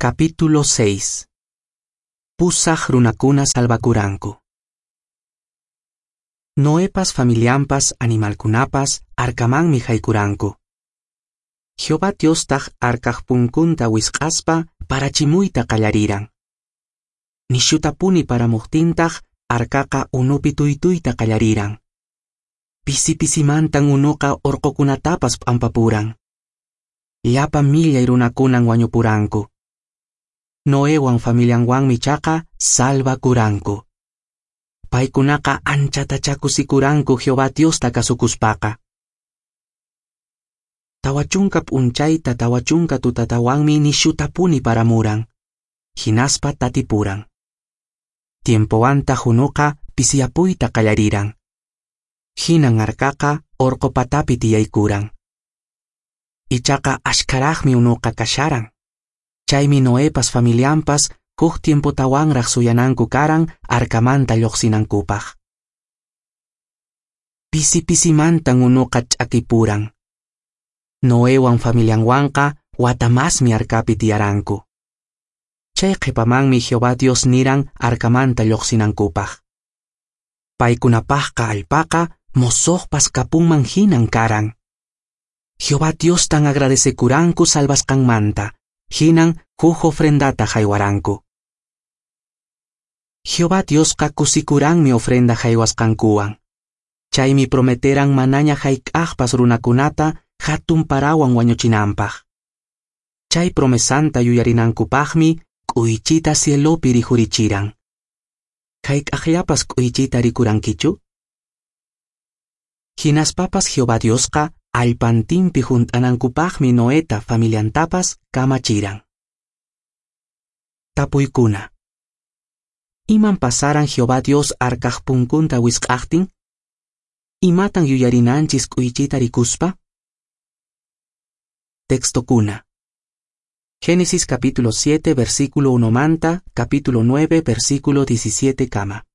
Capítulo 6. Pusaq runakuna salvakuranku. Noepas familianpas animalkunapas arkamanmi haykuranku. Jehová Diostaq arkaq punkunta wisq'aspa parachimuyta qallariran. Nishutapuni paramuqtintaq arkaqa unupi tuytuyta qallariran. Pisi pisimantan unuqa orqokunatapas p'ampapuran. Llapa millay runakunan wañupuranku. Noewan familianwanmi chaqa salvakuranku. Paykunaqa anchatachá kusikuranku Jehová Diosta kasukuspaqa. 40 p'unchayta 40 tutatawanmi nishutapuni paramuran. Hinaspa tatipuran. Tiempowantaq unuqa pisiyapuyta qallariran. Hinan arkaqa orqo patapi tiyaykuran. Ichaqa ashkaraqmi unuqa kasharan. Chaymi Noepas familianpas huk tiempotawanraq suyananku karan arkamanta lluqsinankupaq. Pisi pisimantan unuqa ch'akipuran. Noewan familianwanqa wata masmi arkapi tiyaranku. Chay qhipamanmi Jehová Dios niran arkamanta lluqsinankupaq. Paykunapaqqa allpaqa mosoqpas kapunman hinan karan. Jehová Diostan agradecekuranku salvasqanmanta, hinan huk ofrendata haywaranku. Jehová Diosqa kusikuranmi ofrenda haywasqankuwan. Chaymi prometeran manaña hayk'aqpas runakunata hatun parawan wañuchinanpaq. Chay promesanta yuyarinankupaqmi k'uychita cielopi rikhurichiran. Hayk'aqllapas k'uychita rikurankichu? Hinaspapas Jehová Diosqa allpantinpi hunt'anankupaqmi Noeta familiantapas kamachiran. Tapuykuna. Iman pasaran Jehová Dios arkaq punkunta wisq'aqtin? Imatan yuyarinanchis k'uychita rikuspa? Textokuna. Génesis capítulo 7 versículo 1 manta, capítulo 9 versículo 17 kama.